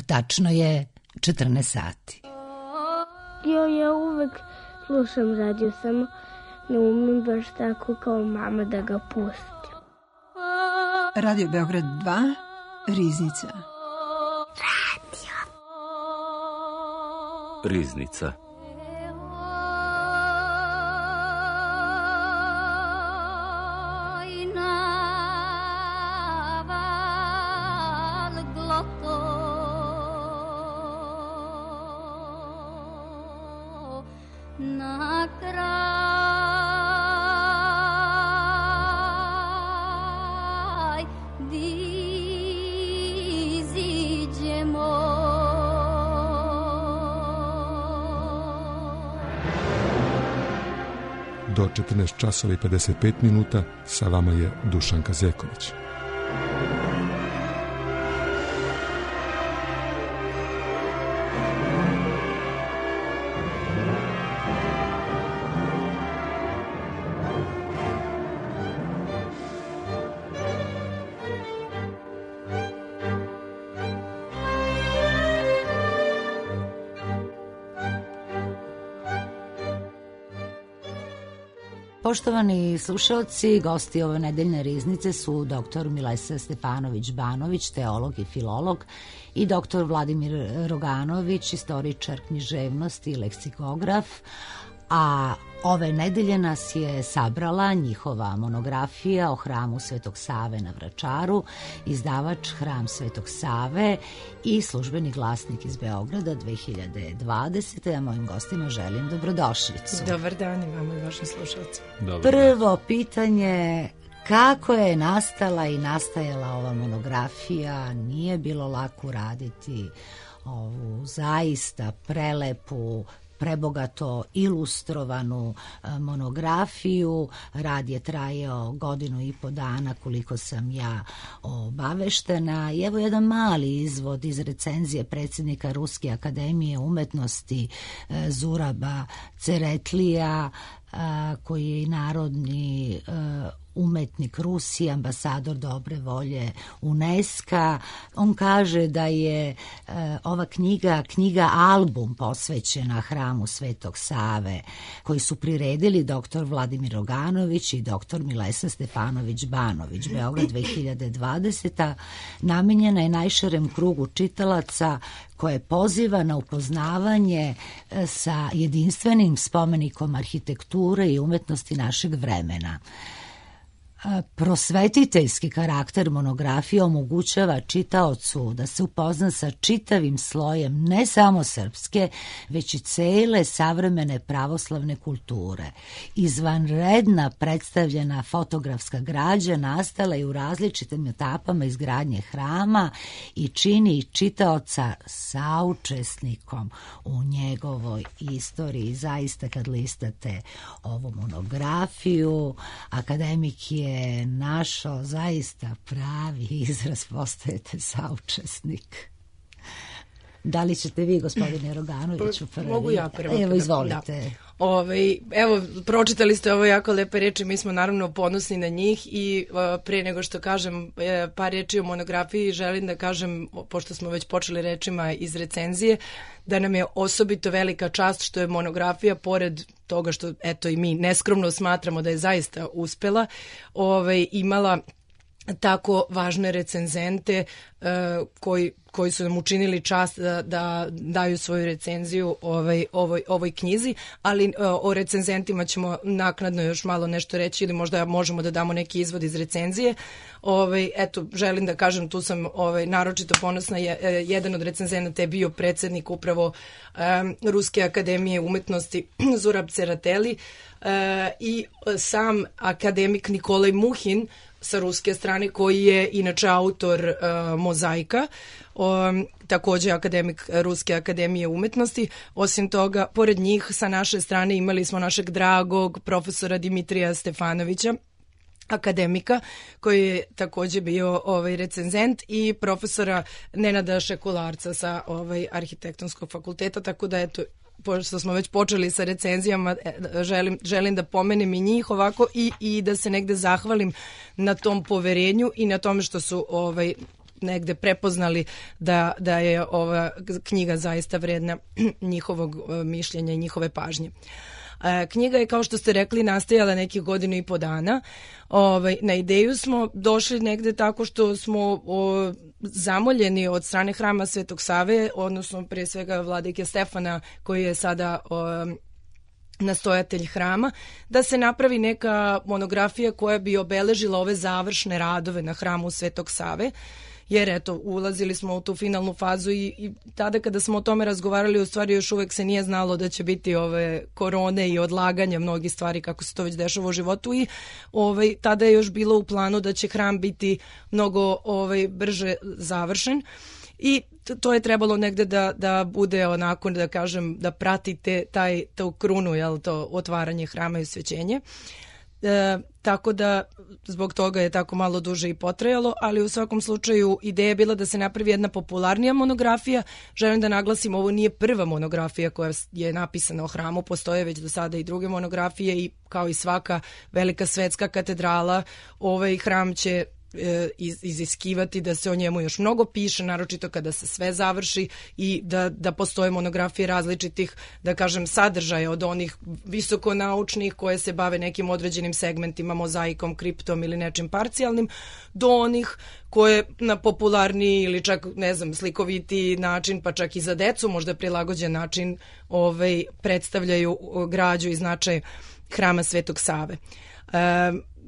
Tačno je 14 sati. Ja uvek slušam radio, samo ne umem baš tako kao mama da ga pustim. Radio Beograd 2, Riznica. Riznica. Do 14 časova i 55 minuta sa vama je Dušanka Zeković. Poštovani slušalci, gosti ove nedeljne riznice su dr. Milesa Stefanović-Banović, teolog i filolog, i dr. Vladimir Roganović, istoričar književnosti i leksikograf, a ove nedelje nas je sabrala njihova monografija o hramu Svetog Save na Vračaru, izdavač Hram Svetog Save i Službeni glasnik iz Beograda 2020. A mojim gostima želim dobrodošlicu. Dobar dan i vama i vašim slušalcima. Prvo pitanje, kako je nastala i nastajala ova monografija? Nije bilo lako raditi ovu zaista prelepu, prebogato ilustrovanu monografiju. Rad je trajao 1.5 godina koliko sam ja obaveštena. I evo jedan mali izvod iz recenzije predsjednika Ruske akademije umetnosti Zuraba Ceretlija, koji je i narodni umetnik Rusije, ambasador dobre volje UNESCO. On kaže da je ova knjiga album posvećena hramu Svetog Save, koji su priredili dr. Vladimir Roganović i dr. Milesa Stefanović-Banović. Beograd 2020. Namenjena je najširem krugu čitalaca, koje poziva na upoznavanje sa jedinstvenim spomenikom arhitekture i umetnosti našeg vremena. Prosvetiteljski karakter monografije omogućava čitaocu da se upozna sa čitavim slojem ne samo srpske, već i cele savremene pravoslavne kulture. Izvanredna predstavljena fotografska građa nastala je u različitim etapama izgradnje hrama i čini čitaoca saučesnikom u njegovoj istoriji. Zaista, kad listate ovu monografiju, akademik je našao zaista pravi izraz, postajete saučesnik. Da li ćete vi, gospodine Roganoviću, prvi? Mogu ja prvo. Evo, izvolite. Evo, pročitali ste ovo jako lepe reči, mi smo naravno ponosni na njih i pre nego što kažem par reči o monografiji, želim da kažem, pošto smo već počeli rečima iz recenzije, da nam je osobito velika čast što je monografija, pored toga što eto i mi neskromno smatramo da je zaista uspela, imala tako važne recenzente koji su nam učinili čast da daju svoju recenziju ovoj knjizi, ali o recenzentima ćemo naknadno još malo nešto reći ili možda možemo da damo neki izvod iz recenzije. Eto, želim da kažem, tu sam naročito ponosna, jedan od recenzenata je bio predsjednik upravo Ruske akademije umetnosti Zurab Ceretlij i sam akademik Nikolaj Muhin sa ruske strane, koji je inače autor Mozaika, takođe akademik Ruske akademije umetnosti. Osim toga, pored njih sa naše strane imali smo našeg dragog profesora Dimitrija Stefanovića, akademika, koji je takođe bio recenzent, i profesora Nenada Šekularca sa arhitektonskog fakulteta, tako da eto, pošto smo već počeli sa recenzijama, želim da pomenem i njih ovako i da se negde zahvalim na tom poverenju i na tome što su negde prepoznali da je ova knjiga zaista vredna njihovog mišljenja i njihove pažnje. Knjiga je, kao što ste rekli, nastajala nekih 1.5 godina. Na ideju smo došli negde tako što smo zamoljeni od strane Hrama Svetog Save, odnosno prije svega vladike Stefana, koji je sada nastojatelj hrama, da se napravi neka monografija koja bi obeležila ove završne radove na Hramu Svetog Save, jer eto, ulazili smo u tu finalnu fazu i tada kada smo o tome razgovarali, u stvari još uvek se nije znalo da će biti ove korone i odlaganja mnogih stvari kako se to već dešava u životu i tada je još bilo u planu da će hram biti mnogo brže završen. I to je trebalo negde da bude onako, da kažem, da pratite tu krunu, to otvaranje hrama i osvećenje. Tako da zbog toga je tako malo duže i potrajalo, ali u svakom slučaju ideja je bila da se napravi jedna popularnija monografija. Želim da naglasim, ovo nije prva monografija koja je napisana o hramu, postoje već do sada i druge monografije i kao i svaka velika svetska katedrala, ovaj hram će iziskivati da se o njemu još mnogo piše, naročito kada se sve završi i da postoje monografije različitih, da kažem, sadržaja, od onih visokonaučnih koje se bave nekim određenim segmentima, mozaikom, kriptom ili nečim parcijalnim, do onih koje na popularniji ili čak, ne znam, slikovitiji način, pa čak i za decu možda prilagođen način predstavljaju građu i značaj Hrama Svetog Save.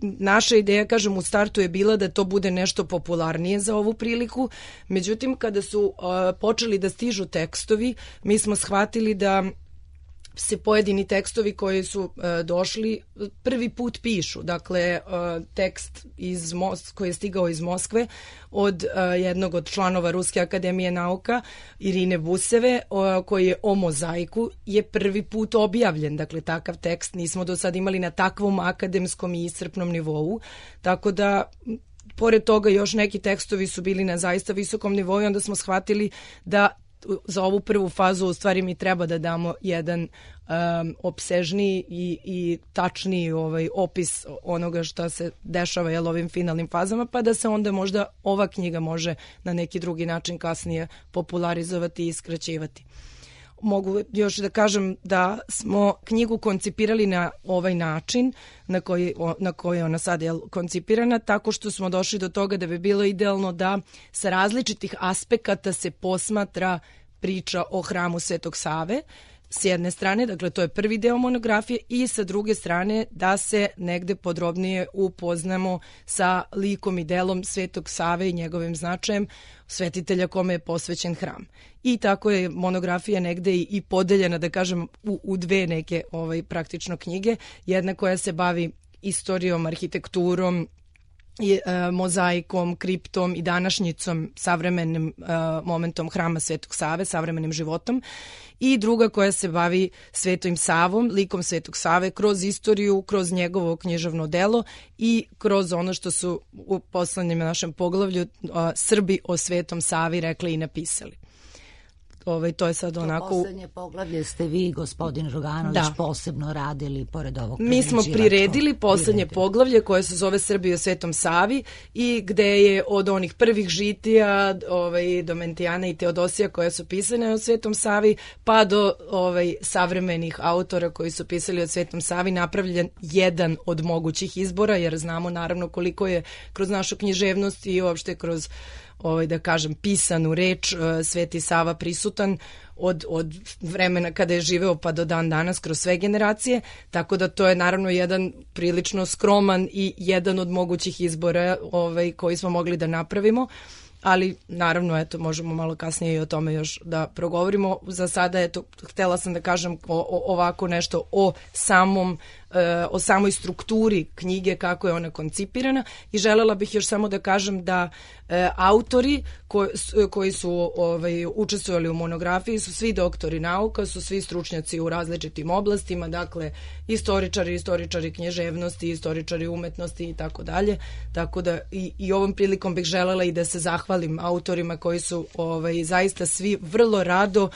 Naša ideja, kažem, u startu je bila da to bude nešto popularnije za ovu priliku, međutim kada su počeli da stižu tekstovi, mi smo shvatili da se pojedini tekstovi koji su došli prvi put pišu. Dakle, tekst koji je stigao iz Moskve od jednog od članova Ruske akademije nauka, Irine Buseve, koji je o mozaiku, je prvi put objavljen. Dakle, takav tekst nismo do sad imali na takvom akademskom i iscrpnom nivou. Tako da, pored toga, još neki tekstovi su bili na zaista visokom nivou i onda smo shvatili da za ovu prvu fazu u stvari mi treba da damo jedan opsežniji i tačniji opis onoga što se dešava ovim finalnim fazama, pa da se onda možda ova knjiga može na neki drugi način kasnije popularizovati i skraćivati. Mogu još da kažem da smo knjigu koncipirali na ovaj način na koji je ona sad koncipirana, tako što smo došli do toga da bi bilo idealno da sa različitih aspekata se posmatra priča o Hramu Svetog Save, s jedne strane, dakle to je prvi deo monografije, i sa druge strane da se negde podrobnije upoznamo sa likom i delom Svetog Save i njegovim značajem, svetitelja kome je posvećen hram. I tako je monografija negde i podeljena, da kažem, u dve neke praktično knjige. Jedna koja se bavi istorijom, arhitekturom, mozaikom, kriptom i današnjicom, savremenim momentom Hrama Svetog Save, savremenim životom, i druga koja se bavi Svetim Savom, likom Svetog Save, kroz istoriju, kroz njegovo književno delo i kroz ono što su u poslednjem našem poglavlju Srbi o Svetom Savi rekli i napisali. To je sad onako... To poslednje poglavlje ste vi, gospodin Roganović, posebno radili pored ovog Mi smo priredili poslednje poglavlje koje se zove Srbi o Svetom Savi i gde je od onih prvih žitija Domentijana i Teodosija koje su pisane o Svetom Savi pa do savremenih autora koji su pisali o Svetom Savi napravljen jedan od mogućih izbora, jer znamo naravno koliko je kroz našu književnost i uopšte kroz da kažem pisanu reč Sveti Sava prisutan od vremena kada je živeo pa do dan danas kroz sve generacije, tako da to je naravno jedan prilično skroman i jedan od mogućih izbora koji smo mogli da napravimo, ali naravno eto možemo malo kasnije i o tome još da progovorimo. Za sada eto htela sam da kažem ovako nešto o samoj strukturi knjige, kako je ona koncipirana, i želela bih još samo da kažem da autori koji su učestvovali u monografiji su svi doktori nauka, su svi stručnjaci u različitim oblastima, dakle istoričari književnosti, istoričari umetnosti i tako dalje, tako da i ovom prilikom bih želela i da se zahvalim autorima koji su zaista svi vrlo rado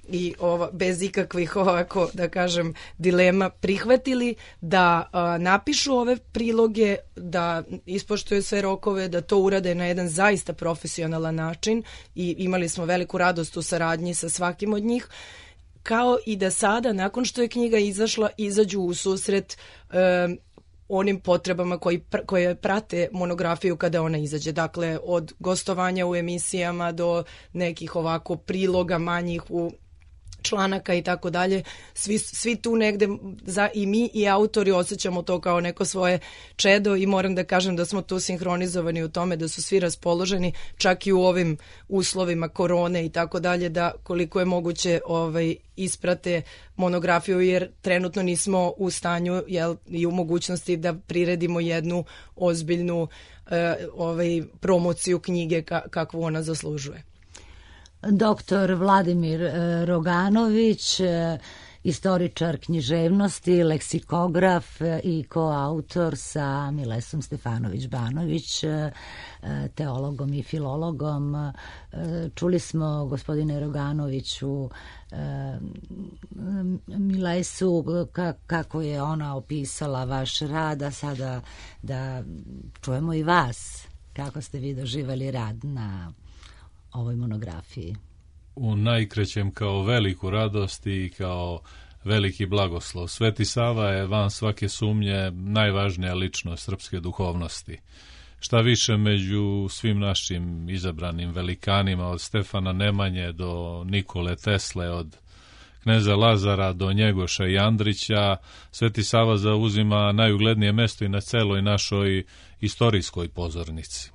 i bez ikakvih ovako, da kažem, dilema prihvatili da napišu ove priloge, da ispoštuju sve rokove, da to urade na jedan zaista profesionalan način i imali smo veliku radost u saradnji sa svakim od njih, kao i da sada, nakon što je knjiga izašla, izađu u susret onim potrebama koje prate monografiju kada ona izađe. Dakle, od gostovanja u emisijama do nekih ovako priloga manjih u članaka i tako dalje. Svi tu negde, i mi i autori osjećamo to kao neko svoje čedo i moram da kažem da smo tu sinhronizovani u tome, da su svi raspoloženi, čak i u ovim uslovima korone i tako dalje, da koliko je moguće isprate monografiju, jer trenutno nismo u stanju i u mogućnosti da priredimo jednu ozbiljnu promociju knjige kakvu ona zaslužuje. Doktor Vladimir Roganović, istoričar književnosti, leksikograf i koautor sa Milesom Stefanović-Banović, teologom i filologom. Čuli smo, gospodine Roganoviću, Milesu kako je ona opisala vaš rad, a sada da čujemo i vas. Kako ste vi doživjeli rad na ovoj monografiji? U najkrećem kao veliku radost i kao veliki blagoslov. Sveti Sava je van svake sumnje najvažnija ličnost srpske duhovnosti. Šta više, među svim našim izabranim velikanima, od Stefana Nemanje do Nikole Tesle, od kneza Lazara do Njegoša i Andrića, Sveti Sava zauzima najuglednije mesto i na celoj našoj istorijskoj pozornici.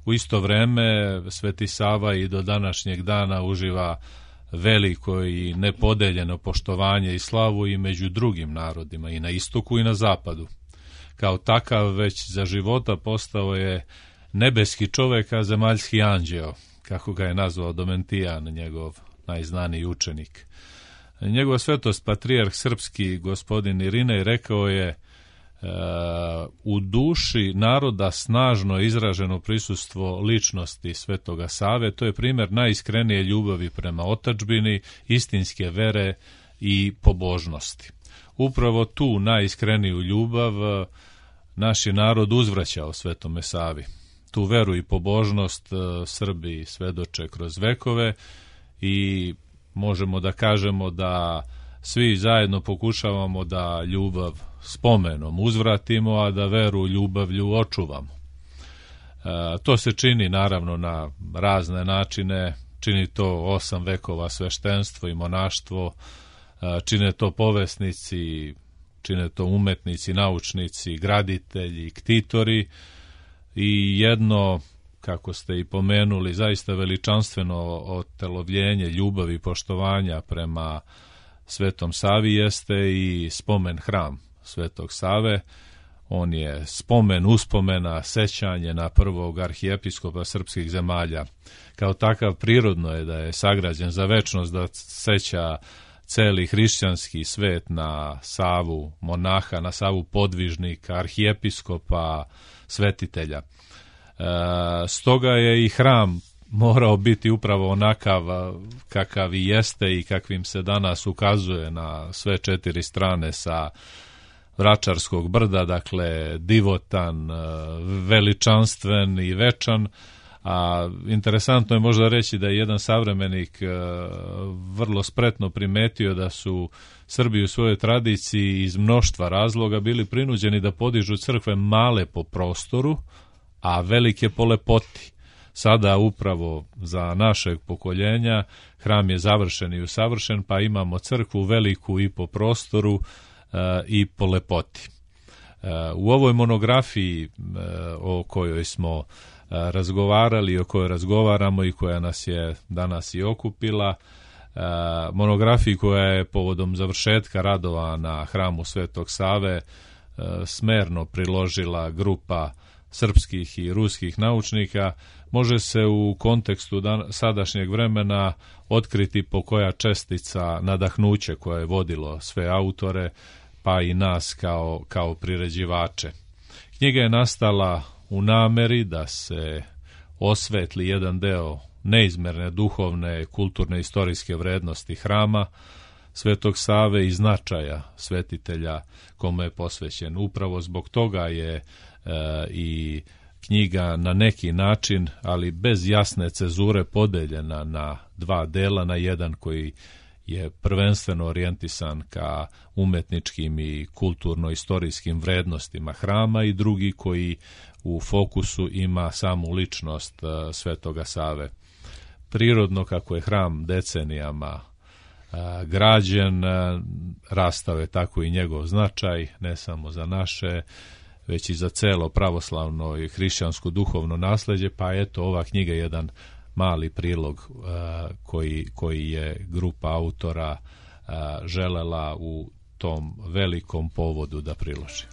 U isto vreme Sveti Sava i do današnjeg dana uživa veliko i nepodeljeno poštovanje i slavu i među drugim narodima, i na istoku i na zapadu. Kao takav već za života postao je nebeski čovek, a zemaljski anđeo, kako ga je nazvao Domentijan, njegov najznaniji učenik. Njegova svetost patrijarh srpski gospodin Irinej rekao je: u duši naroda snažno izraženo prisustvo ličnosti Svetoga Save, to je primjer najiskrenije ljubavi prema otadžbini, istinske vere i pobožnosti. Upravo tu najiskreniju ljubav naš je narod uzvraćao Svetome Savi. Tu veru i pobožnost Srbi svedoče kroz vekove i možemo da kažemo da svi zajedno pokušavamo da ljubav spomenom uzvratimo, a da veru ljubavlju očuvamo. To se čini naravno na razne načine, čini to 8 vekova sveštenstvo i monaštvo, čine to povesnici, čine to umetnici, naučnici, graditelji, ktitori i jedno, kako ste i pomenuli, zaista veličanstveno otelovljenje ljubavi i poštovanja prema Svetom Savi jeste i spomen hram Svetog Save. On je spomen, uspomena, sećanje na prvog arhijepiskopa srpskih zemalja. Kao takav prirodno je da je sagrađen za večnost, da seća celi hrišćanski svet na Savu monaha, na Savu podvižnika, arhijepiskopa, svetitelja. Stoga je i hram morao biti upravo onakav kakav i jeste i kakvim se danas ukazuje na sve 4 strane sa Vračarskog brda, dakle divotan, veličanstven i večan. A interesantno je možda reći da je jedan savremenik vrlo spretno primetio da su Srbi u svojoj tradiciji iz mnoštva razloga bili prinuđeni da podižu crkve male po prostoru, a velike po lepoti. Sada upravo za našeg pokoljenja hram je završen i usavršen, pa imamo crkvu veliku i po prostoru i po lepoti. U ovoj monografiji o kojoj smo razgovarali, o kojoj razgovaramo i koja nas je danas i okupila, monografiji koja je povodom završetka radova na hramu Svetog Save smerno priložila grupa srpskih i ruskih naučnika, može se u kontekstu sadašnjeg vremena otkriti po koja čestica nadahnuće koje je vodilo sve autore, pa i nas kao priređivače. Knjiga je nastala u nameri da se osvetli jedan deo neizmerne duhovne, kulturne, istorijske vrednosti hrama Svetog Save i značaja svetitelja kome je posvećen. Upravo zbog toga je i knjiga na neki način, ali bez jasne cezure, podeljena na dva dela, na jedan koji je prvenstveno orijentisan ka umetničkim i kulturno-istorijskim vrednostima hrama i drugi koji u fokusu ima samu ličnost Svetoga Save. Prirodno, kako je hram decenijama građen, rastao je tako i njegov značaj, ne samo za naše, već i za celo pravoslavno i hrišćansko duhovno nasleđe, pa eto, ova knjiga je jedan mali prilog koji je grupa autora želela u tom velikom povodu da priloži.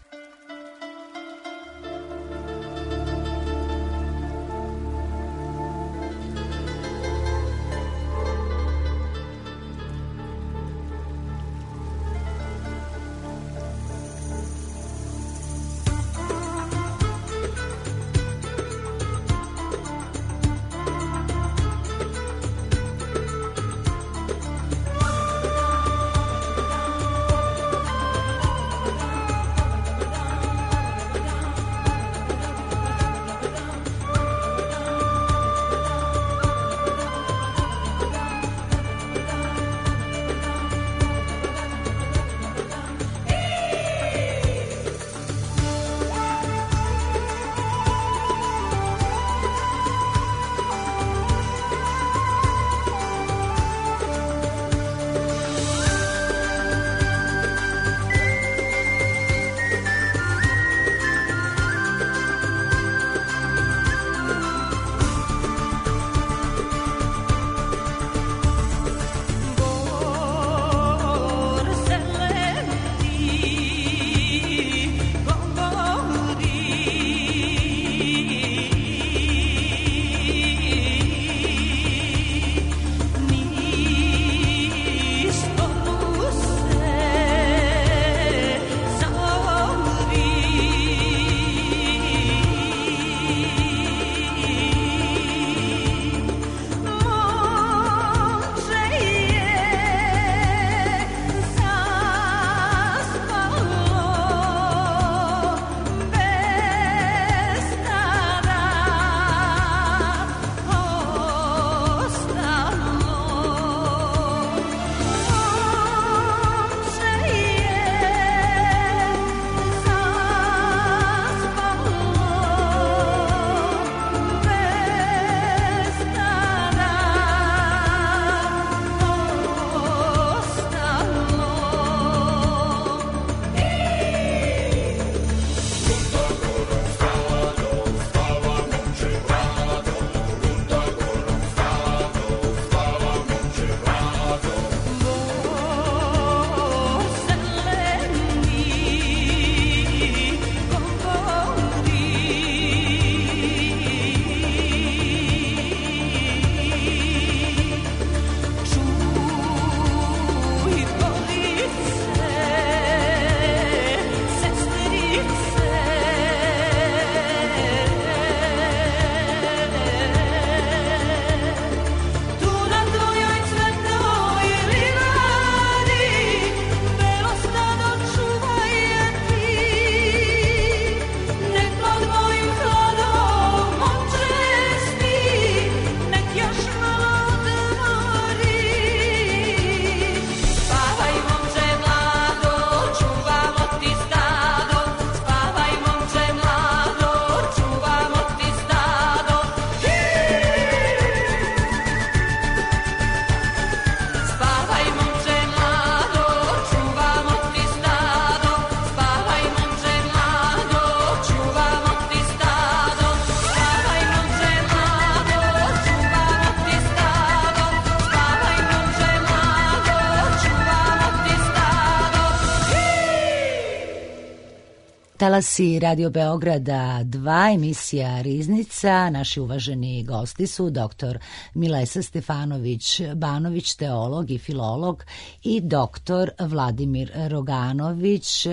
Talasi Radio Beograda 2, emisija Riznica. Naši uvaženi gosti su dr. Milesa Stefanović-Banović, teolog i filolog, i dr. Vladimir Roganović,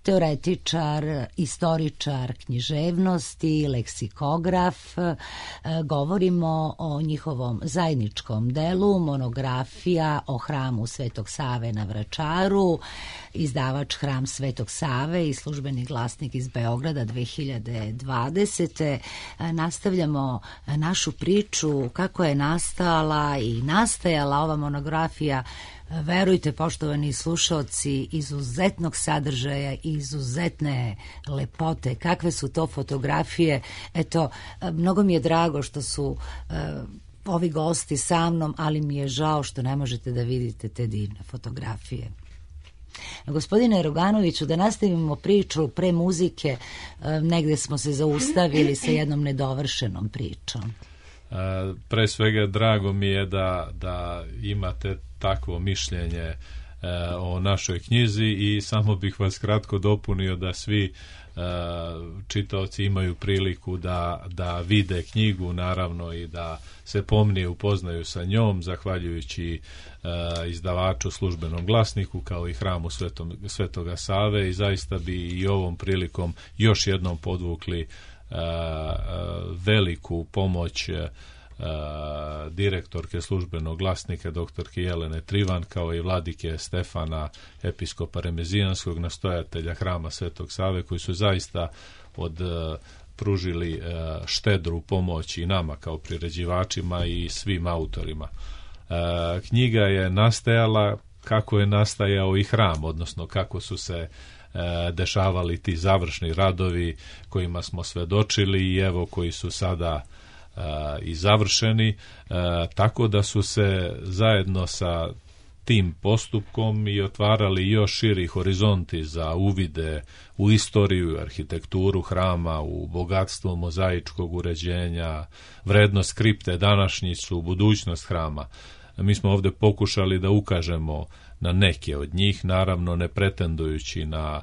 teoretičar, istoričar književnosti, leksikograf. Govorimo o njihovom zajedničkom delu, monografija o hramu Svetog Save na Vračaru, izdavač Hram Svetog Save i Službeni glasnik iz Beograda 2020. Nastavljamo našu priču kako je nastala i nastajala ova monografija. Verujte, poštovani slušaoci, izuzetnog sadržaja i izuzetne lepote. Kakve su to fotografije? Eto, mnogo mi je drago što su ovi gosti sa mnom, ali mi je žao što ne možete da vidite te divne fotografije. Gospodine Roganoviću, da nastavimo priču pre muzike, negde smo se zaustavili sa jednom nedovršenom pričom. Pre svega drago mi je da imate takvo mišljenje o našoj knjizi i samo bih vas kratko dopunio da svi čitaoci imaju priliku da vide knjigu, naravno, i da se pomnije upoznaju sa njom, zahvaljujući izdavaču Službenom glasniku, kao i Hramu Svetoga Save, i zaista bi i ovom prilikom još jednom podvukli veliku pomoć direktorke Službenog glasnika doktorke Jelene Trivan, kao i vladike Stefana, episkopa Remezijanskog, nastojatelja Hrama Svetog Save, koji su zaista pružili štedru pomoć i nama kao priređivačima i svim autorima. Knjiga je nastajala kako je nastajao i hram, odnosno kako su se dešavali ti završni radovi kojima smo svedočili i evo koji su sada i završeni, tako da su se zajedno sa tim postupkom i otvarali još širi horizonti za uvide u istoriju, arhitekturu hrama, u bogatstvo mozaičkog uređenja, vrednost kripte, današnjicu, budućnost hrama. Mi smo ovdje pokušali da ukažemo na neke od njih, naravno ne pretendujući na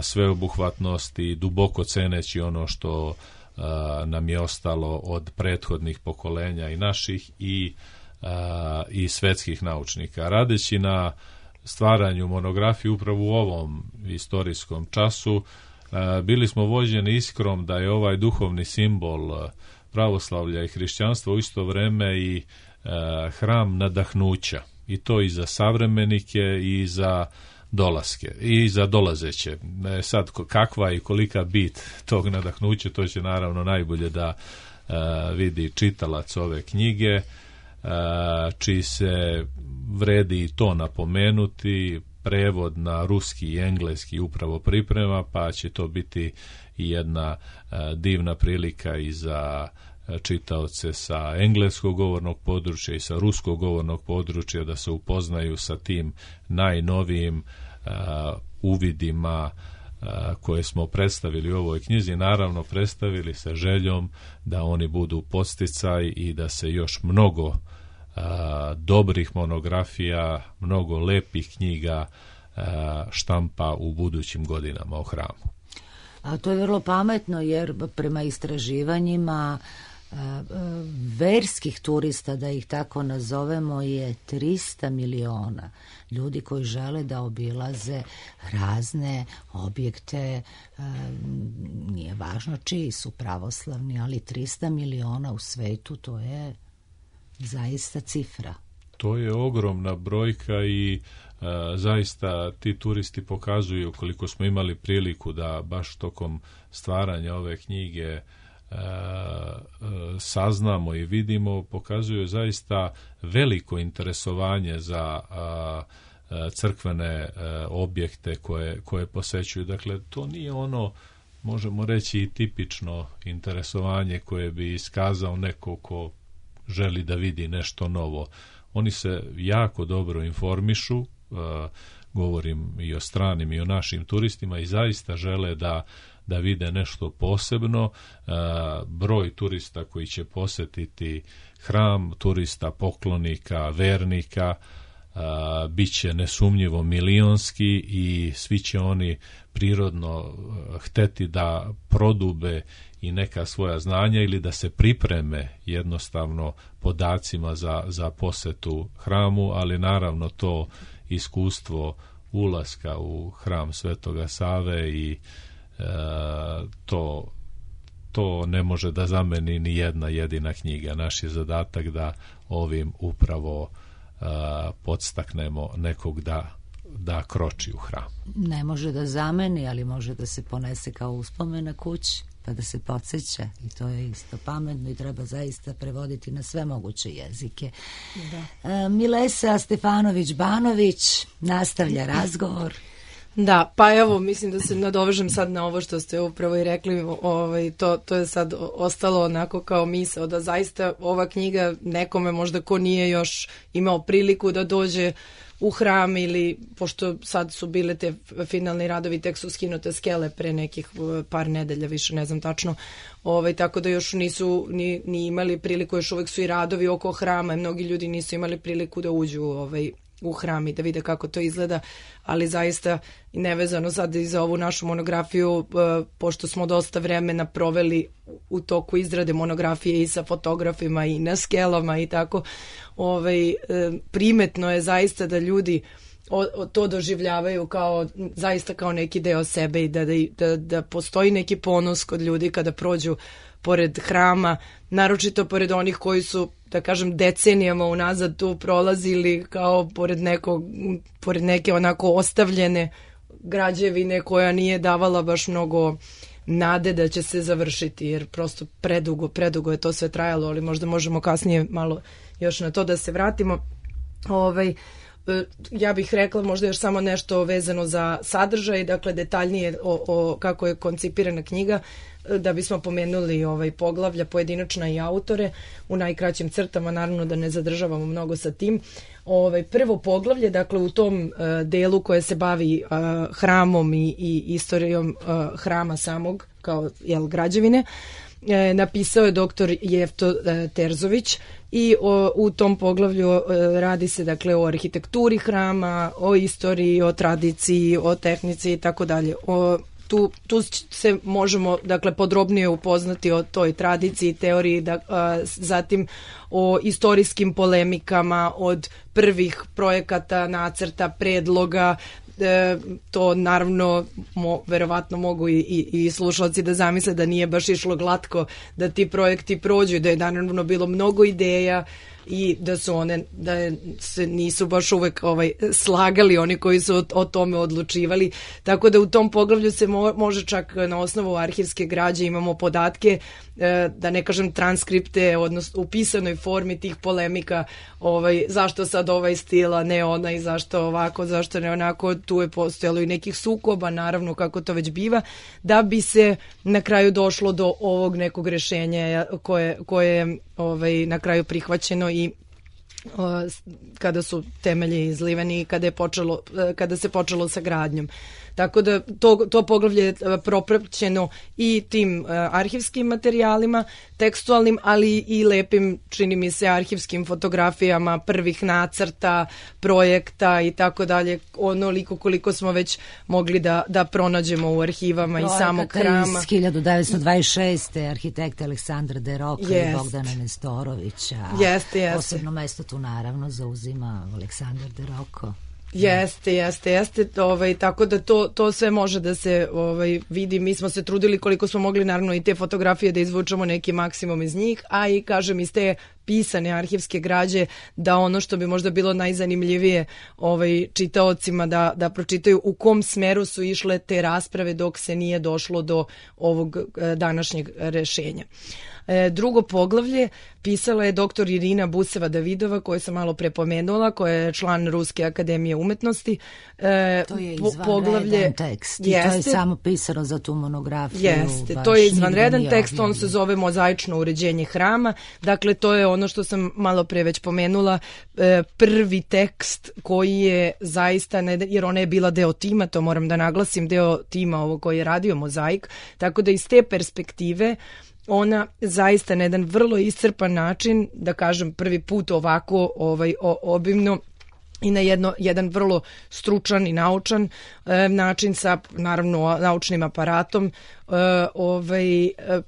sveobuhvatnost i duboko ceneći ono što nam je ostalo od prethodnih pokolenja i naših i svetskih naučnika. Radeći na stvaranju monografije upravo u ovom istorijskom času, bili smo vođeni iskrom da je ovaj duhovni simbol pravoslavlja i hrišćanstva u isto vreme i hram nadahnuća, i to i za savremenike i za dolaske i za dolazeće. Sad kakva i kolika bit tog nadahnuća, to će naravno najbolje da vidi čitalac ove knjige, čiji se vredi i to napomenuti. Prevod na ruski i engleski upravo priprema, pa će to biti i jedna divna prilika i za čitaoce sa engleskog govornog područja i sa ruskog govornog područja da se upoznaju sa tim najnovijim uvidima koje smo predstavili u ovoj knjizi, naravno predstavili sa željom da oni budu podsticaj i da se još mnogo dobrih monografija, mnogo lepih knjiga štampa u budućim godinama o hramu. A to je vrlo pametno, jer prema istraživanjima verskih turista, da ih tako nazovemo, je 300 miliona ljudi koji žele da obilaze razne objekte, nije važno čiji su pravoslavni, ali 300 miliona u svetu, to je zaista cifra. To je ogromna brojka i zaista ti turisti pokazuju, koliko smo imali priliku da baš tokom stvaranja ove knjige saznamo i vidimo, pokazuju zaista veliko interesovanje za crkvene objekte koje posećuju. Dakle, to nije ono, možemo reći, i tipično interesovanje koje bi iskazao neko ko želi da vidi nešto novo. Oni se jako dobro informišu, govorim i o stranim i o našim turistima, i zaista žele da vide nešto posebno. Broj turista koji će posetiti hram, turista, poklonika, vernika, bit će nesumnjivo milionski i svi će oni prirodno hteti da prodube i neka svoja znanja ili da se pripreme jednostavno podacima za posetu hramu, ali naravno to iskustvo ulaska u hram Svetoga Save i to ne može da zameni ni jedna jedina knjiga. Naš je zadatak da ovim upravo podstaknemo nekog da kroči u hram. Ne može da zameni, ali može da se ponese kao uspomena kući, pa da se podsjeća, i to je isto pametno i treba zaista prevoditi na sve moguće jezike. Da. Milesa Stefanović-Banović nastavlja razgovor. Da, pa evo, mislim da se nadovežem sad na ovo što ste upravo i rekli, to je sad ostalo onako kao misao, da zaista ova knjiga nekome možda ko nije još imao priliku da dođe u hram ili, pošto sad su bile te finalni radovi, tek su skinute skele pre nekih par nedelja, više ne znam tačno, tako da još nisu ni imali priliku, još uvek su i radovi oko hrama i mnogi ljudi nisu imali priliku da uđu u hram i da vide kako to izgleda, ali zaista nevezano sad i za ovu našu monografiju, pošto smo dosta vremena proveli u toku izrade monografije i sa fotografima i na skelama i tako, primetno je zaista da ljudi to doživljavaju zaista kao neki deo sebe i da postoji neki ponos kod ljudi kada prođu pored hrama, naročito pored onih koji su, da kažem, decenijama unazad tu prolazili kao pored neke onako ostavljene građevine koja nije davala baš mnogo nade da će se završiti, jer prosto predugo je to sve trajalo, ali možda možemo kasnije malo još na to da se vratimo. Ja bih rekla možda još samo nešto vezano za sadržaj, dakle detaljnije o kako je koncipirana knjiga, da bismo pomenuli poglavlja pojedinačna i autore u najkraćim crtama, naravno da ne zadržavamo mnogo sa tim. Prvo poglavlje, dakle u tom delu koje se bavi hramom i istorijom hrama samog kao građevine, napisao je doktor Jefto Terzović i u tom poglavlju radi se dakle o arhitekturi hrama, o istoriji, o tradiciji, o tehnici i tako dalje. Tu se možemo dakle podrobnije upoznati o toj tradiciji, teoriji, zatim o istorijskim polemikama od prvih projekata, nacrta, predloga. To naravno verovatno mogu i slušalci da zamisle da nije baš išlo glatko da ti projekti prođu, da je naravno bilo mnogo ideja i da se nisu baš uvek slagali oni koji su o tome odlučivali, tako da u tom poglavlju se može čak na osnovu arhivske građe imamo podatke, da ne kažem transkripte, odnosno u pisanoj formi tih polemika, zašto sad ovaj stil, a ne onaj, zašto ovako, zašto ne onako, tu je postojalo i nekih sukoba, naravno kako to već biva, da bi se na kraju došlo do ovog nekog rešenja koje je na kraju prihvaćeno i kada su temelji izliveni i kada se počelo sa gradnjom. Tako da to poglavlje je propraćeno i tim arhivskim materijalima, tekstualnim, ali i lepim, čini mi se, arhivskim fotografijama prvih nacrta, projekta i tako dalje, onoliko koliko smo već mogli da pronađemo u arhivama i samog hrama. Iz 1926. arhitekta Aleksandra De Roka i Bogdana Nestorovića. Jeste. Posebno mesto tu naravno zauzima Aleksandar De Roko. Jeste, tako da to sve može da se vidi. Mi smo se trudili koliko smo mogli, naravno i te fotografije da izvučemo neki maksimum iz njih, a i kažem iz te pisane arhivske građe da ono što bi možda bilo najzanimljivije čitaocima da pročitaju u kom smeru su išle te rasprave dok se nije došlo do ovog današnjeg rešenja. Drugo poglavlje pisala je doktor Irina Buseva-Davidova, koju sam malo prepomenula, koja je član Ruske akademije umetnosti. To je izvanredan tekst i to je samo pisano za tu monografiju. Jeste, to je izvanredan tekst, on se zove Mozaično uređenje hrama. Dakle, to je ono što sam malo pre već pomenula, prvi tekst koji je zaista, jer ona je bila deo tima, to moram da naglasim, deo tima ovo koji je radio Mozaik, tako da iz te perspektive ona zaista na jedan vrlo iscrpan način, da kažem prvi put ovako obimno, i na jedan vrlo stručan i naučan način sa naravno naučnim aparatom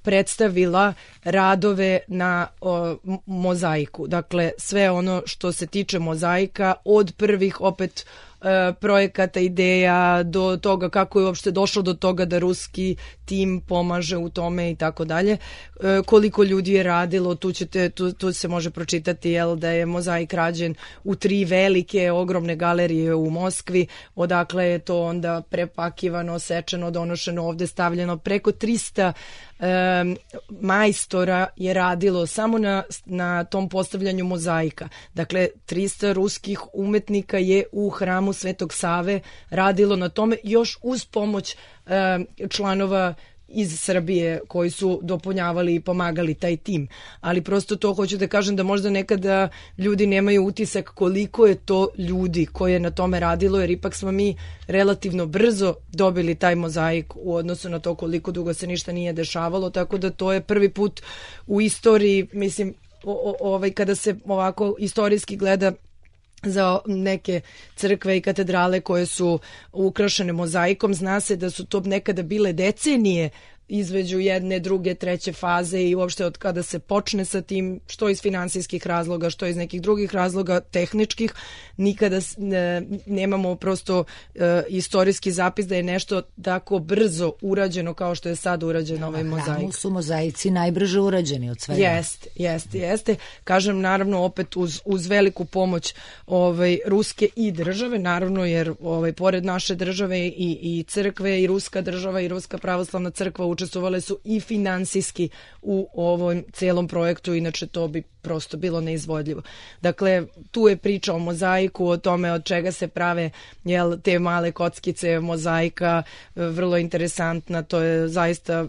predstavila radove na mozaiku. Dakle, sve ono što se tiče mozaika od prvih opet projekata, ideja, do toga kako je uopšte došlo do toga da ruski tim pomaže u tome i tako dalje. Koliko ljudi je radilo, tu se može pročitati da je mozaik rađen u 3 velike, ogromne galerije u Moskvi, odakle je to onda prepakivano, sečeno, donošeno ovde, stavljeno. Preko 300 majstora je radilo samo na tom postavljanju mozaika. Dakle, 300 ruskih umetnika je u hramu Svetog Save radilo na tome, još uz pomoć članova iz Srbije koji su dopunjavali i pomagali taj tim. Ali prosto to hoću da kažem da možda nekada ljudi nemaju utisak koliko je to ljudi koje je na tome radilo, jer ipak smo mi relativno brzo dobili taj mozaik u odnosu na to koliko dugo se ništa nije dešavalo, tako da to je prvi put u istoriji, mislim, kada se ovako istorijski gleda za neke crkve i katedrale koje su ukrašene mozaikom, zna se da su to nekada bile decenije između jedne, druge, treće faze i uopšte od kada se počne sa tim, što iz finansijskih razloga, što iz nekih drugih razloga, tehničkih, nikada nemamo prosto istorijski zapis da je nešto tako brzo urađeno kao što je sad urađen ovaj mozaik. Na hramu su mozaici najbrže urađeni od svega. Jeste. Kažem, naravno, opet uz veliku pomoć ruske i države, naravno, jer pored naše države i crkve i ruska država i ruska pravoslavna crkva učestvovale su i finansijski u ovom celom projektu, inače to bi prosto bilo neizvodljivo. Dakle, tu je priča o mozaiku, o tome od čega se prave te male kockice mozaika, vrlo interesantna, to je zaista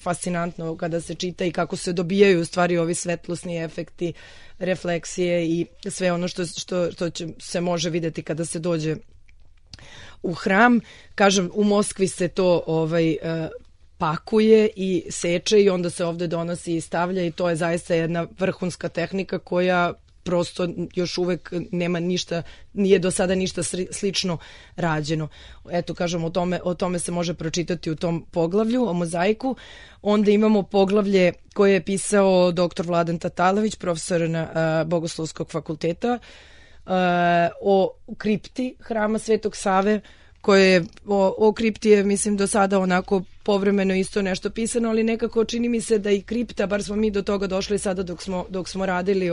fascinantno kada se čita i kako se dobijaju u stvari ovi svetlosni efekti, refleksije i sve ono što se može videti kada se dođe u hram. Kažem, u Moskvi se to pakuje i seče i onda se ovde donosi i stavlja i to je zaista jedna vrhunska tehnika koja prosto još uvek nema ništa, nije do sada ništa slično rađeno. Eto, kažem, o tome se može pročitati u tom poglavlju o mozaiku. Onda imamo poglavlje koje je pisao dr. Vladan Tatalović, profesor na Bogoslovskog fakulteta, o kripti hrama Svetog Save, koje je o kripti je, mislim, do sada onako povremeno isto nešto pisano, ali nekako čini mi se da i kripta, bar smo mi do toga došli sada dok smo radili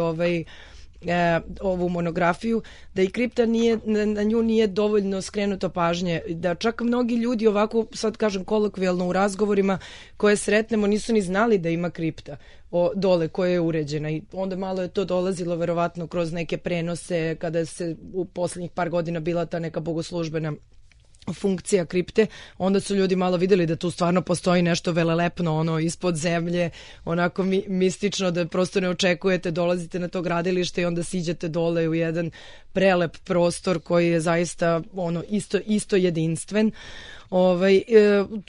ovu monografiju, da i kripta na nju nije dovoljno skrenuto pažnje, da čak mnogi ljudi ovako, sad kažem kolokvijalno u razgovorima koje sretnemo, nisu ni znali da ima kripta dole koja je uređena i onda malo je to dolazilo verovatno kroz neke prenose kada se u poslednjih par godina bila ta neka bogoslužbena funkcija kripte, onda su ljudi malo videli da tu stvarno postoji nešto velelepno ispod zemlje, onako mistično da prosto ne očekujete, dolazite na to gradilište i onda siđete dole u jedan prelep prostor koji je zaista isto jedinstven.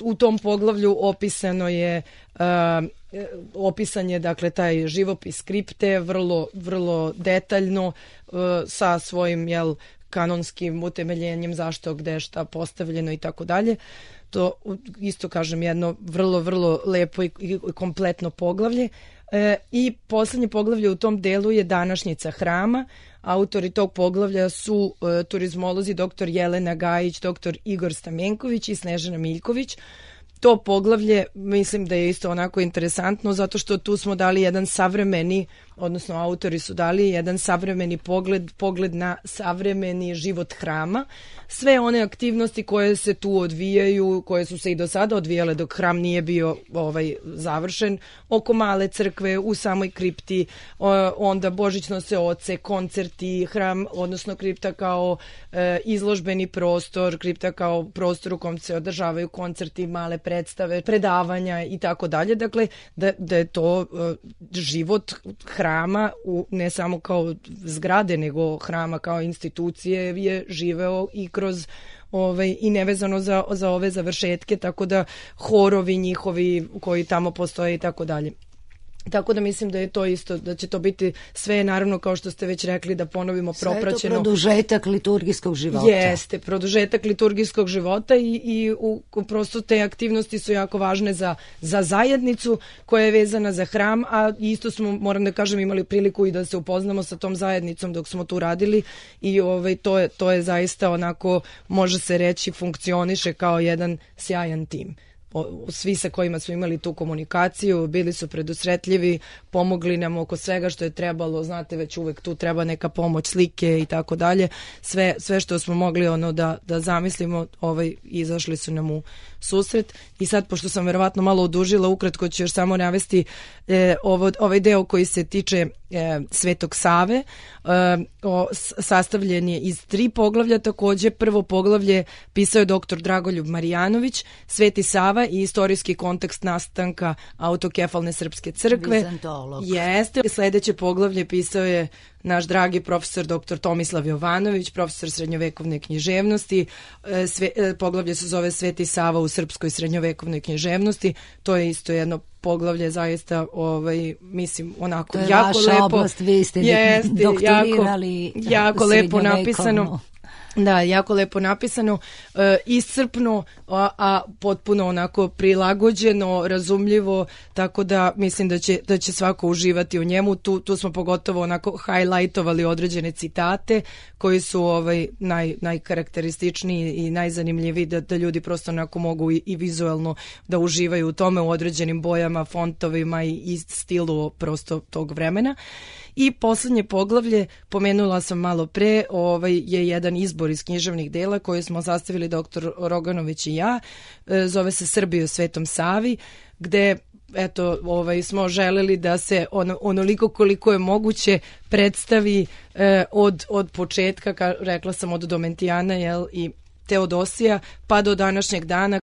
U tom poglavlju opisan je dakle taj živopis kripte vrlo detaljno sa svojim kanonskim utemeljenjem zašto, gde, šta postavljeno i tako dalje. To isto, kažem, jedno vrlo lepo i kompletno poglavlje. I poslednje poglavlje u tom delu je današnjica hrama. Autori tog poglavlja su turizmolozi dr. Jelena Gajić, dr. Igor Stamenković i Snežana Miljković. To poglavlje mislim da je isto onako interesantno zato što tu smo dali jedan savremeni, odnosno autori su dali jedan savremeni pogled na savremeni život hrama. Sve one aktivnosti koje se tu odvijaju, koje su se i do sada odvijale dok hram nije bio završen, oko male crkve, u samoj kripti, onda božićnose oce, koncerti, hram, odnosno kripta kao izložbeni prostor, kripta kao prostor u kom se održavaju koncerti, male predstave, predavanja i tako dalje. Dakle, da je to život hrama, ne samo kao zgrade, nego hrama kao institucije je živeo i kroz i nevezano za ove završetke, tako da horovi njihovi koji tamo postoje i tako dalje. Tako da mislim da je to isto, da će to biti sve, naravno, kao što ste već rekli, da ponovimo propraćeno. Sve je to produžetak liturgijskog života. Jeste, produžetak liturgijskog života i prosto te aktivnosti su jako važne za zajednicu koja je vezana za hram, a isto smo, moram da kažem, imali priliku i da se upoznamo sa tom zajednicom dok smo tu radili i to je zaista onako, može se reći, funkcioniše kao jedan sjajan tim. Svi sa kojima smo imali tu komunikaciju, bili su predusretljivi, pomogli nam oko svega što je trebalo, znate, već uvek tu treba neka pomoć, slike i tako dalje, sve što smo mogli da zamislimo, izašli su nam u susret. I sad, pošto sam verovatno malo odužila, ukratko ću još samo navesti ovaj deo koji se tiče Svetog Save, sastavljen je iz 3 poglavlja. Takođe, prvo poglavlje pisao je dr. Dragoljub Marjanović, Sveti Sava i istorijski kontekst nastanka autokefalne srpske crkve. Bizantolog. Jeste. Sledeće poglavlje pisao je naš dragi profesor dr. Tomislav Jovanović, profesor srednjovekovne književnosti. Poglavlje se zove Sveti Sava u srpskoj srednjovekovnoj književnosti. To je isto jedno poglavlje, zaista, mislim, onako jako lepo. To je vaša oblast, vi ste doktorirali jako lepo napisano. Da, jako lepo napisano, iscrpno, a potpuno onako prilagođeno, razumljivo, tako da mislim da će svako uživati u njemu. Tu smo pogotovo onako highlightovali određene citate koji su najkarakterističniji i najzanimljiviji, da ljudi prosto onako mogu i vizualno da uživaju u tome, u određenim bojama, fontovima i stilu prosto tog vremena. I poslednje poglavlje, pomenula sam malo pre, je jedan izbor iz književnih dela koje smo sastavili dr. Roganović i ja, zove se Srbija o Svetom Savi, gde smo želeli da se onoliko koliko je moguće predstavi od početka, rekla sam od Domentijana i Teodosija, pa do današnjeg dana.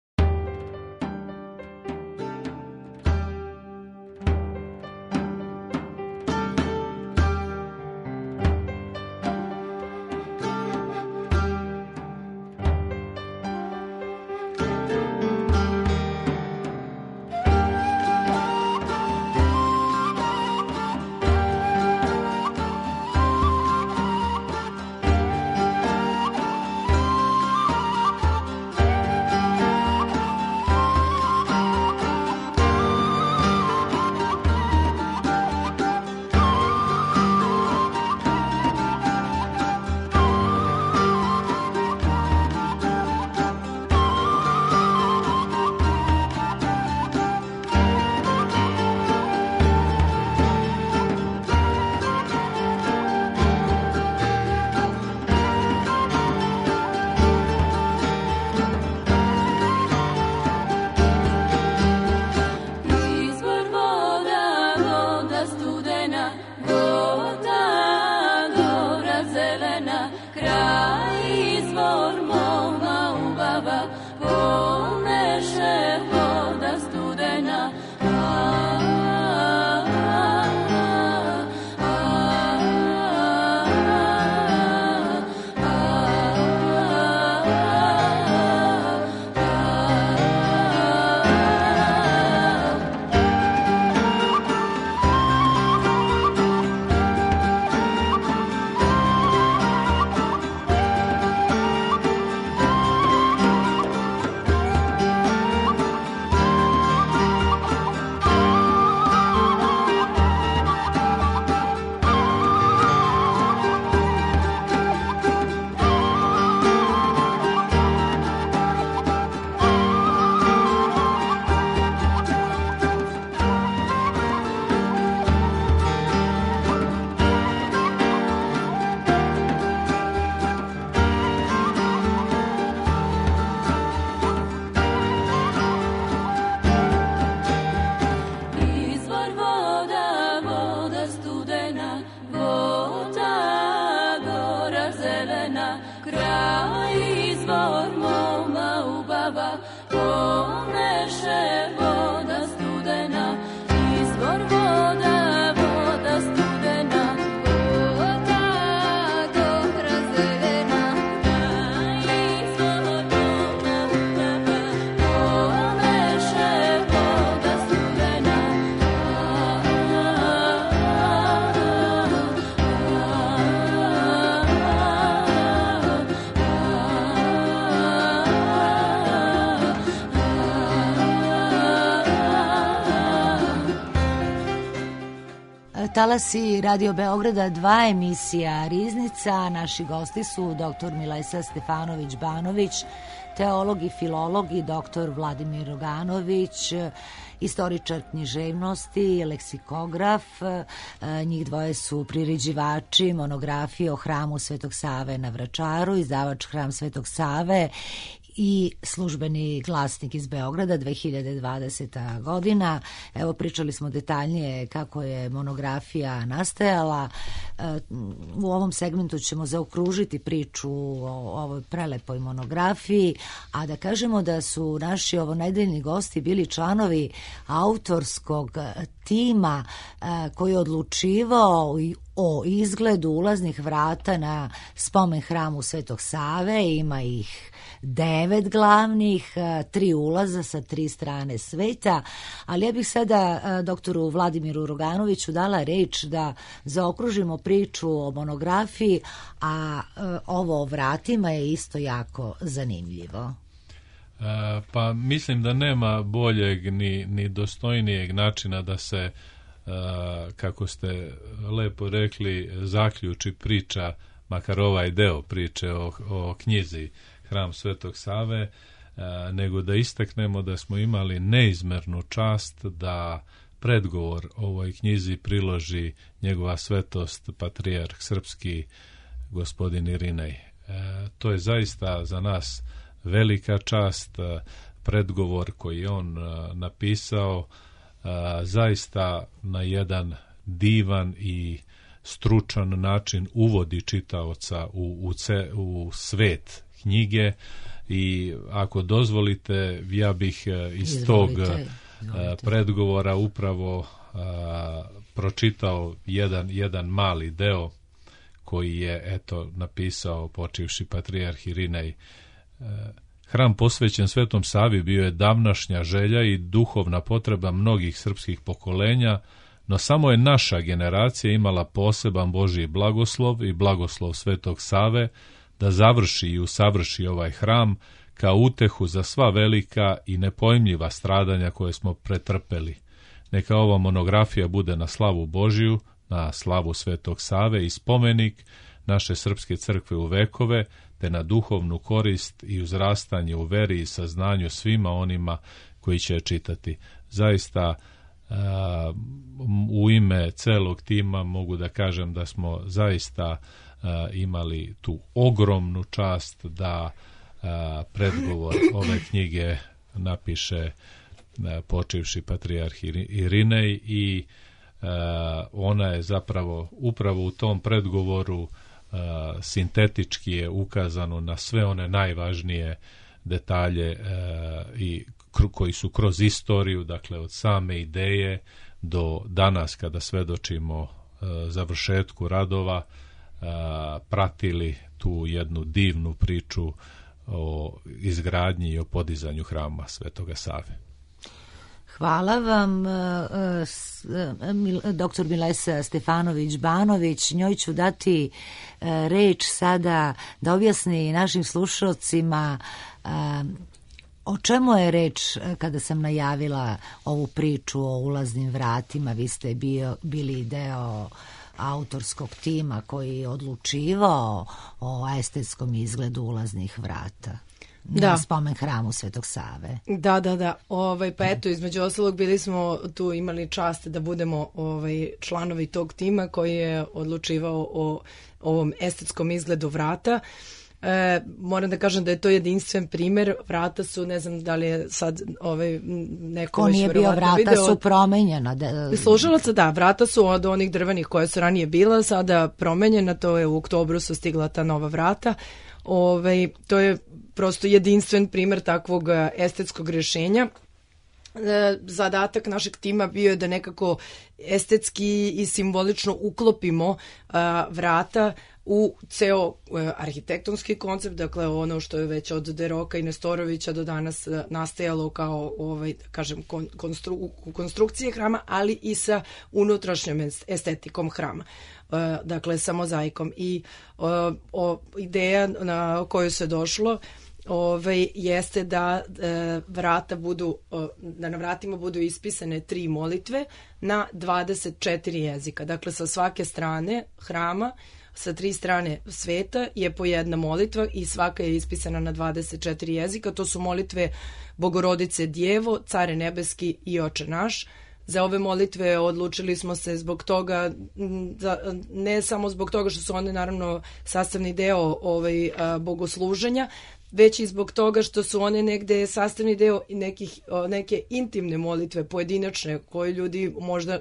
Talasi Radio Beograda 2, emisija Riznica. Naši gosti su dr. Milesa Stefanović-Banović, teolog i filolog, i dr. Vladimir Roganović, istoričar književnosti, leksikograf. Njih dvoje su priređivači monografije o hramu Svetog Save na Vračaru, izdavač Hram Svetog Save i Službeni glasnik iz Beograda, 2020. godina. Evo, pričali smo detaljnije kako je monografija nastajala. U ovom segmentu ćemo zaokružiti priču o ovoj prelepoj monografiji, a da kažemo da su naši ovonedeljni gosti bili članovi autorskog tima koji je odlučivao o izgledu ulaznih vrata na spomen hramu Svetog Save. Ima ih 9 glavnih, 3 ulaza sa 3 strane sveta, ali ja bih sada doktoru Vladimiru Roganoviću dala reč da zaokružimo priču o monografiji, a ovo o vratima je isto jako zanimljivo. Pa mislim da nema boljeg ni dostojnijeg načina da se, kako ste lepo rekli, zaključi priča, makar ovaj deo priče o knjizi Hram Svetog Save, nego da istaknemo da smo imali neizmernu čast da predgovor ovoj knjizi priloži njegova svetost patrijarh srpski gospodin Irinej. To je zaista za nas velika čast. Predgovor koji je on napisao zaista na jedan divan i stručan način uvodi čitaoca u svet knjige, i ako dozvolite, ja bih iz tog predgovora upravo pročitao jedan mali deo koji je napisao počivši patrijarh Irinej. Hram posvećen Svetom Savi bio je davnašnja želja i duhovna potreba mnogih srpskih pokolenja, no samo je naša generacija imala poseban Božji blagoslov i blagoslov Svetog Save da završi i usavrši ovaj hram kao utehu za sva velika i nepojmljiva stradanja koje smo pretrpeli. Neka ova monografija bude na slavu Božiju, na slavu Svetog Save i spomenik naše srpske crkve u vekove, te na duhovnu korist i uzrastanje u veri i saznanju svima onima koji će je čitati. Zaista, u ime celog tima mogu da kažem da smo zaista imali tu ogromnu čast da predgovor ove knjige napiše počivši patrijarh Irinej, i ona je zapravo upravo u tom predgovoru sintetički je ukazano na sve one najvažnije detalje i koji su kroz istoriju, dakle od same ideje do danas kada svedočimo završetku radova, pratili tu jednu divnu priču o izgradnji i o podizanju hrama Svetoga Save. Hvala vam, doktor Milesa Stefanović-Banović. Njoj ću dati reč sada da objasni našim slušalcima o čemu je reč kada sam najavila ovu priču o ulaznim vratima. Vi ste bili deo autorskog tima koji je odlučivao o estetskom izgledu ulaznih vrata na spomen hramu Svetog Save. Da. Pa eto, između ostalog bili smo tu, imali čast da budemo članovi tog tima koji je odlučivao o ovom estetskom izgledu vrata. Moram da kažem da je to jedinstven primer. Vrata su, ne znam da li je sad neko ko nije bio, vrata su promenjena. Slušalaca, da, vrata su od onih drvenih koje su ranije bila, sada promenjena, to je u oktobru su stigla ta nova vrata. To je prosto jedinstven primer takvog estetskog rješenja. Zadatak našeg tima bio je da nekako estetski i simbolično uklopimo vrata u ceo arhitektonski koncept, dakle ono što je već od De Roka i Nestorovića do danas nastajalo kao konstrukcije hrama, ali i sa unutrašnjom estetikom hrama, dakle sa mozaikom. I ideja na koju se došlo jeste da da na vratima budu ispisane 3 molitve na 24 jezika. Dakle, sa svake strane hrama, sa 3 strane sveta je po jedna molitva i svaka je ispisana na 24 jezika. To su molitve Bogorodice Djevo, Care nebeski i Oče naš. Za ove molitve odlučili smo se zbog toga, ne samo zbog toga što su one naravno sastavni deo bogosluženja, već i zbog toga što su one negde sastavni deo neke intimne molitve, pojedinačne, koje ljudi možda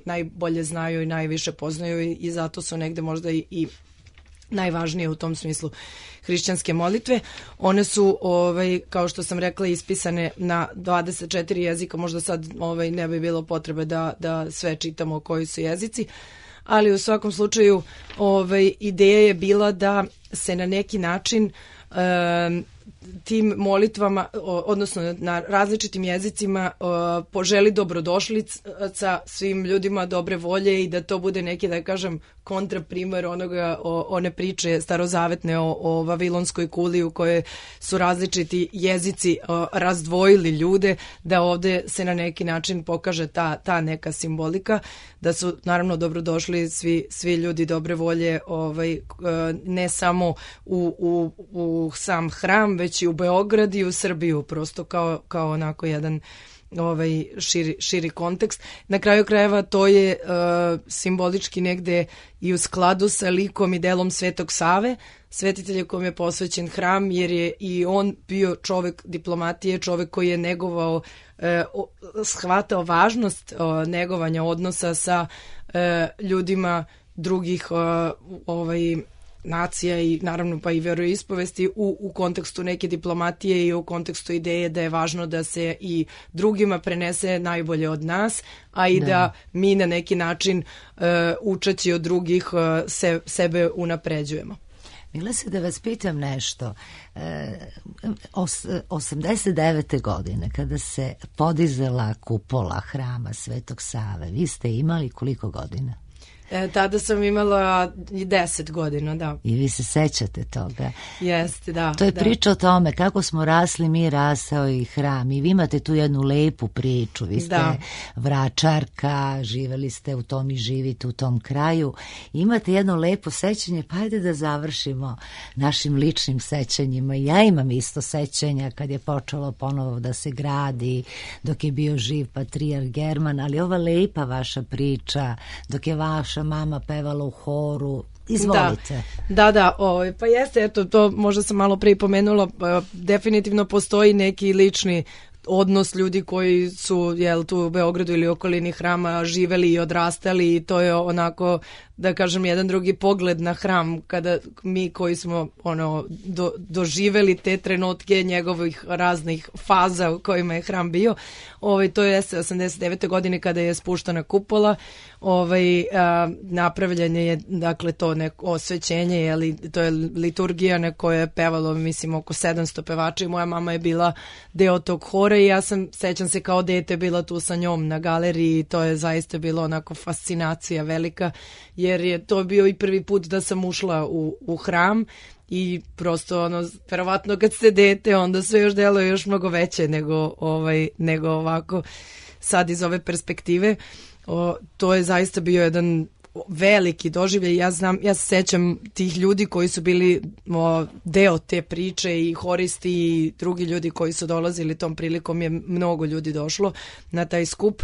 najbolje znaju i najviše poznaju i zato su negde možda i najvažnije u tom smislu hrišćanske molitve. One su, kao što sam rekla, ispisane na 24 jezika, možda sad ne bi bilo potrebe da sve čitamo koji su jezici, ali u svakom slučaju ideja je bila da se na neki način tim molitvama, odnosno na različitim jezicima, poželi dobrodošlica svim ljudima dobre volje i da to bude neki, da kažem, kontraprimer one priče starozavetne o Vavilonskoj kuli u kojoj su različiti jezici razdvojili ljude, da ovde se na neki način pokaže ta neka simbolika, da su naravno dobrodošli svi ljudi dobre volje, ne samo u sam hram, već i u Beograd i u Srbiju, prosto kao onako jedan širi kontekst. Na kraju krajeva to je simbolički negde i u skladu sa likom i delom Svetog Save, svetitelja kom je posvećen hram, jer je i on bio čovek diplomatije, čovek koji je negovao, shvatao važnost negovanja odnosa sa ljudima drugih nacija i naravno pa i veroispovesti u kontekstu neke diplomatije i u kontekstu ideje da je važno da se i drugima prenese najbolje od nas, a i da mi na neki način učeći od drugih sebe unapređujemo. Milese, da vas pitam nešto. 89. godine, kada se podizala kupola hrama Svetog Save, vi ste imali koliko godina? Tada sam imala 10 godina, da. I vi se sećate toga? Jeste, da. To je priča o tome kako smo rasli, mi rasao i hram. I vi imate tu jednu lepu priču. Vi ste Vračarka, živeli ste u tom i živite u tom kraju. Imate jedno lepo sećanje, pa ajde da završimo našim ličnim sećanjima. Ja imam isto sećanja kad je počelo ponovo da se gradi, dok je bio živ patrijarh German, ali ova lepa vaša priča, dok je vaša mama pevala u horu. Izvolite. Da, pa jeste, eto, to možda sam malo prije pomenula, definitivno postoji neki lični odnos ljudi koji su tu u Beogradu ili okolini hrama živeli i odrastali i to je onako, da kažem, jedan drugi pogled na hram kada mi koji smo doživeli te trenutke njegovih raznih faza u kojima je hram bio. To je 89. godine kada je spuštana kupola, napravljanje je, dakle, to neko osvećenje, to je liturgija na kojoj je pevalo, mislim, oko 700 pevača i moja mama je bila deo tog hora i ja sećam se kao dete bila tu sa njom na galeriji i to je zaista bilo onako fascinacija velika, jer je to bio i prvi put da sam ušla u hram i prosto verovatno kad ste dete onda sve još deluje još mnogo veće nego ovako sad iz ove perspektive. To je zaista bio jedan veliki doživljaj. Ja se sećam tih ljudi koji su bili deo te priče i horisti i drugi ljudi koji su dolazili tom prilikom, je mnogo ljudi došlo na taj skup.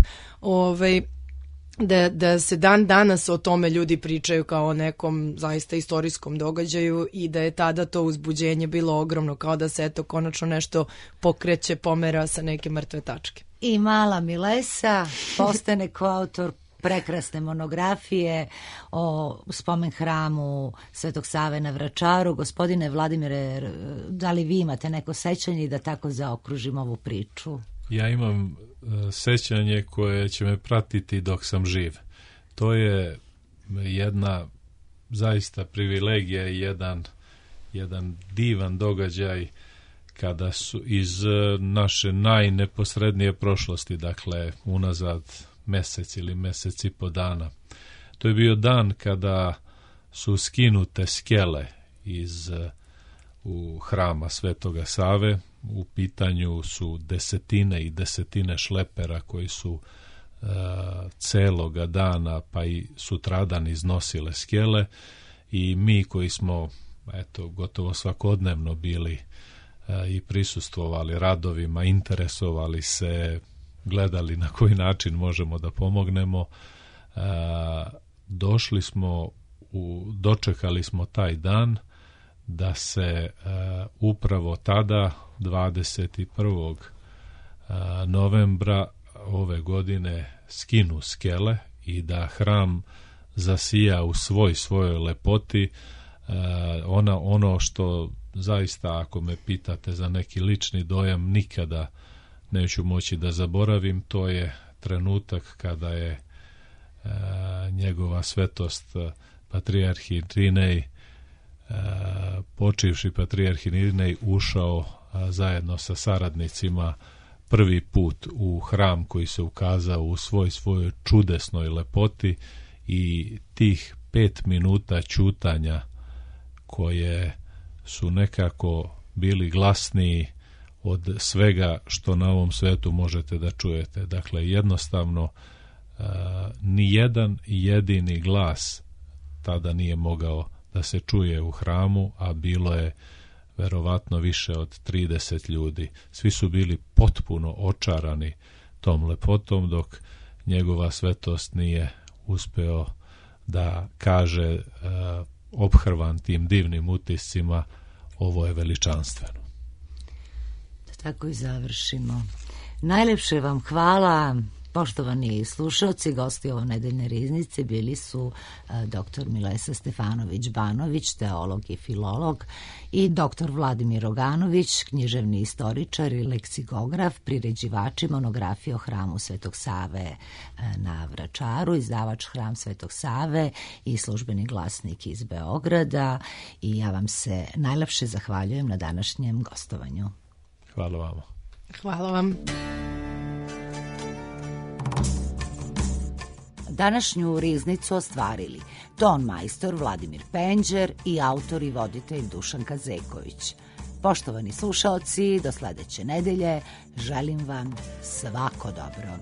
Da se dan danas o tome ljudi pričaju kao o nekom zaista istorijskom događaju i da je tada to uzbuđenje bilo ogromno, kao da se eto konačno nešto pokreće, pomera sa neke mrtve tačke. I mala Milesa postane koautor prekrasne monografije o spomen hramu Svetog Save na Vračaru. Gospodine Vladimire, da li vi imate neko sećanje da tako zaokružim ovu priču? Ja imam sećanje koje će me pratiti dok sam živ. To je jedna zaista privilegija i jedan divan događaj kada su iz naše najneposrednije prošlosti, dakle unazad mesec ili mesec i po dana. To je bio dan kada su skinute skele iz u hrama Svetoga Save. U pitanju su desetine i desetine šlepera koji su celoga dana pa i sutradan iznosile skele, i mi koji smo gotovo svakodnevno bili i prisustvovali radovima, interesovali se, gledali na koji način možemo da pomognemo, dočekali smo taj dan da se upravo tada 21. novembra ove godine skinu skele i da hram zasija u svojoj lepoti. Ono što zaista, ako me pitate za neki lični dojam, nikada neću moći da zaboravim, to je trenutak kada je njegova svetost patrijarh Irinej, počivši patrijarh Irinej, ušao zajedno sa saradnicima prvi put u hram koji se ukazao u svojoj čudesnoj lepoti, i tih 5 minuta ćutanja koje su nekako bili glasniji od svega što na ovom svetu možete da čujete. Dakle, jednostavno ni jedan jedini glas tada nije mogao da se čuje u hramu, a bilo je verovatno više od 30 ljudi. Svi su bili potpuno očarani tom lepotom, dok njegova svetost nije uspeo da kaže, ophrvan tim divnim utiscima, ovo je veličanstveno. Da tako i završimo. Najlepše vam hvala. Poštovani slušalci, gosti ovo nedeljne riznice bili su dr. Milesa Stefanović-Banović, teolog i filolog, i dr. Vladimir Roganović, književni istoričar i leksikograf, priređivači monografije o hramu Svetog Save na Vračaru, izdavač Hram Svetog Save i Službeni glasnik iz Beograda. I ja vam se najlepše zahvaljujem na današnjem gostovanju. Hvala vama. Hvala vam. Današnju riznicu ostvarili ton majstor Vladimir Penđer i autor i voditelj Dušanka Zeković. Poštovani slušaoci, do sledeće nedelje želim vam svako dobro.